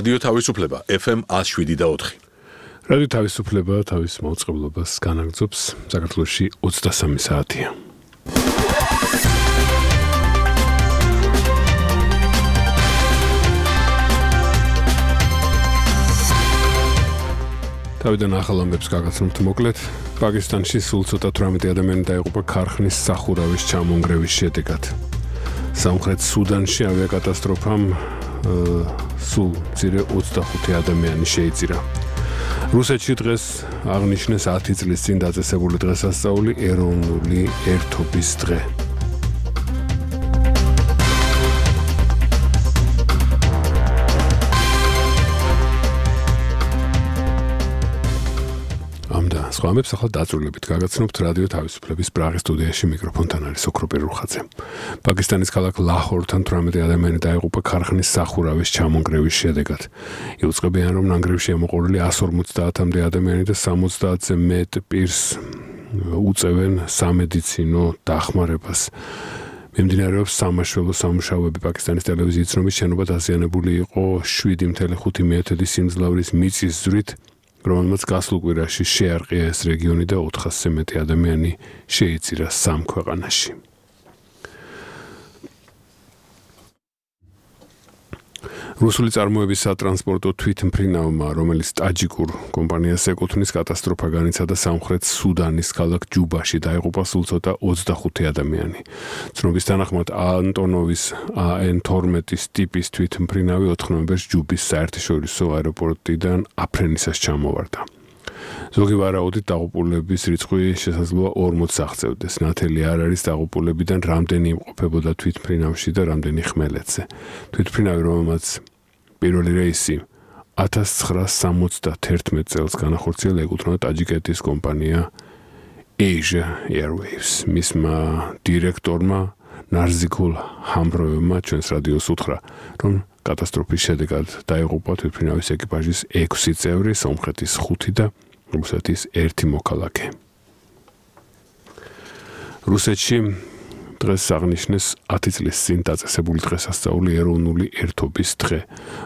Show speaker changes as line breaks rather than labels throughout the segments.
რადიო თავისუფლება FM 107.4.
რადიო თავისუფლება თავის მაუწყებლობას განაგრძობს საქართველოში 23 საათია. თავიდან ახალ ამბებს გაგაცნობთ მოკლედ. პაკისტანში სულ ცოტა 18 ადამიანი დაიღუპა ქარხნის სახურავის ჩამონგრევის შედეგად. სამხრეთ სუდანში ავიაკატასტროფამ სულ მცირე 25 ადამიანი შეიწირა. რუსეთში დღეს აღნიშნეს 10 წლის წინ დაწესებული დღესასწაული ეროვნული ერთობის დღე. სხვა ამბებს ახლა დაწვრილებით გაგაცნობთ რადიო თავისუფლების პრაღის სტუდიაში მიკროფონთან არის ოქროპირ რუხაძე. პაკისტანის ქალაქ ლაჰორთან 18 ადამიანი დაიღუპა ქარხნის სახურავის ჩამონგრევის შედეგად. იუწყებიან, რომ ნანგრევში ამოყოლილი 150-მდე ადამიანი და 70-ზე მეტ პირს უწევენ სამედიცინო დახმარებას. მიმდინარეობს სამაშველო სამუშაოები. პაკისტანის ტელევიზიის ცნობით, შენობა დაზიანებული იყო 7.5 სიმძლავრის მიწის ზვრით, რომელმაც გასულ კვირაში შეარყია ეს რეგიონი და 400-ზე მეტი ადამიანი შეიწირა სამ ქვეყანაში. რუსული წარმოების სატრანსპორტო თვითმფრინავმა, რომელიც ტაჯიკურ კომპანიას ეკუთვნის, კატასტროფა განიცადა სამხრეთ სუდანის ქალაქ ჯუბაში, დაიღუპა სულ ცოტა 25 ადამიანი. ცნობის თანახმად ანტონოვის AN-12 ტიპის თვითმფრინავი 4 ნოემბერს ჯუბის საერთაშორისო აეროპორტიდან აფრენისას ჩამოვარდა. ზოგი ვარაუდით დაღუპულების რიცხვი შესაძლოა 40-ს აღწევდეს. ნათელი არ არის დაღუპულებიდან რამდენი იმყოფებოდა თვითმფრინავში და რამდენი ხმელეთზე. თვითმფრინავი, რომელმაც პირველი რეისი 1971 წელს განახორციელა, ეკუთვნა ტაჯიკეთის კომპანია Asia Airways. მისმა დირექტორმა ნარზიკულ ჰამბროევმა ჩვენს რადიოს უთხრა, რომ კატასტროფის შედეგად დაიღუპა თვითმფრინავის ეკიპაჟის 6 წევრი, სომხეთის 5 და რუსეთის 1 მოქალაქე. რუსეთში დღეს აღნიშნეს 10 წლის წინ დაწესებული დღესასწაული ეროვნული ერთობის დღე.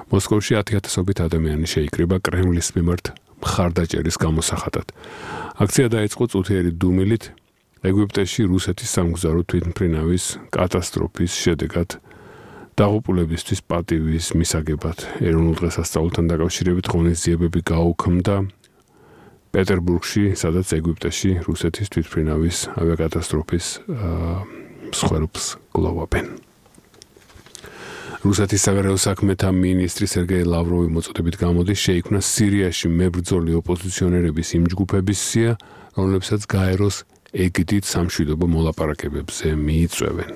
მოსკოვში 10,000-ობით ადამიანი შეიკრიბა კრემლის მიმართ მხარდაჭერის გამოსახატად. აქცია დაიწყო წუთიერი დუმილით ეგვიპტეში რუსეთის სამგზავრო თვითმფრინავის კატასტროფის შედეგად დაღუპულებისთვის პატივის მისაგებად. ეროვნულ დღესასწაულთან დაკავშირებით ღონისძიებები გაუქმდა პეტერბურგში, სადაც ეგვიპტეში რუსეთის თვითმფრინავის ავიაკატასტროფის მსხვერპლს გლოვობენ. რუსეთის საგარეო საქმეთა მინისტრი სერგეი ლავროვი მოწოდებით გამოდის, შეიქმნა სირიაში მებრძოლი ოპოზიციონერების იმ ჯგუფების სია, რომლებსაც გაეროს ეგიდით სამშვიდობო მოლაპარაკებებზე მიიწვევენ.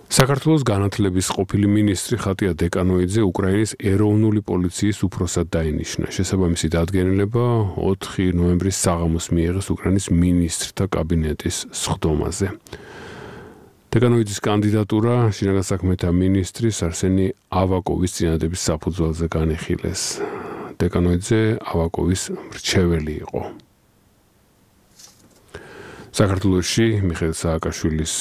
საქართველოს განათლების ყოფილი მინისტრი ხატია დეკანოიძე უკრაინის ეროვნული პოლიციის უფროსად დაინიშნა. შესაბამისი დადგენილება 4 ნოემბრის საღამოს მიიღეს უკრაინის მინისტრთა კაბინეტის სხდომაზე. დეკანოიძის კანდიდატურა შინაგან საქმეთა მინისტრის არსენი ავაკოვის წინადების საფუძველზე განიხილეს. დეკანოიძე ავაკოვის მრჩეველი იყო. საქართველოში მიხეილ სააკაშვილის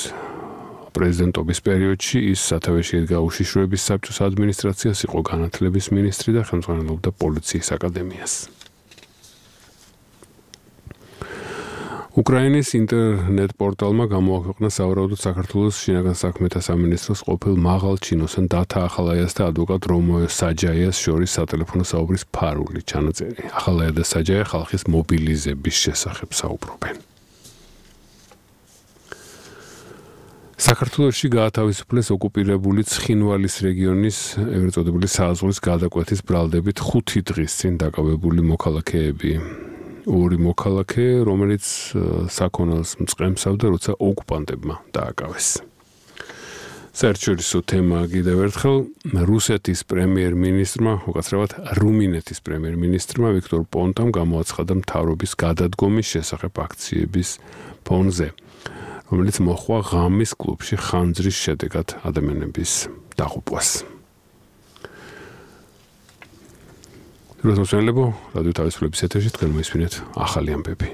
პრეზიდენტობის პერიოდში ის სათავეში ედგა უშიშროების საბჭოს ადმინისტრაციას, იყო განათლების მინისტრი და ხელმძღვანელობდა პოლიციის აკადემიას. უკრაინის ინტერნეტ პორტალმა გამოაქვეყნა სავარაუდოდ საქართველოს შინაგან საქმეთა სამინისტროს ყოფილ მაღალ ჩინოსან დათა ახალაიას და ადვოკატ რომოე საჯაიას შორის სატელეფონო საუბრის ფარული ჩანაწერი. ახალაია და საჯაია ხალხის მობილიზების შესახებ საუბრობენ. საქართველოში გაათავისუფლეს ოკუპირებული ცხინვალის რეგიონის ეგრეთ წოდებული სააზღვრის გადაკვეთის ბრალდებით 5 დღის წინ დაკავებული მოქალაქეები. 2 მოქალაქე, რომელიც საქონელს მწყემსავდა, როცა ოკუპანტებმა დააკავეს. საერთაშორისო თემა კიდევ ერთხელ რუსეთის პრემიერ-მინისტრმა, უკაცრავად რუმინეთის პრემიერ-მინისტრმა ვიქტორ პონტამ გამოაცხადა მთავრობის გადადგომის შესახებ აქციების ფონზე, რომელიც მოჰყვა ღამის კლუბში ხანძრის შედეგად ადამიანების დაღუპვას. როდესაც რადიო თავისუფლების ეთერში თქვენ მოისმინეთ ახალი ამბები.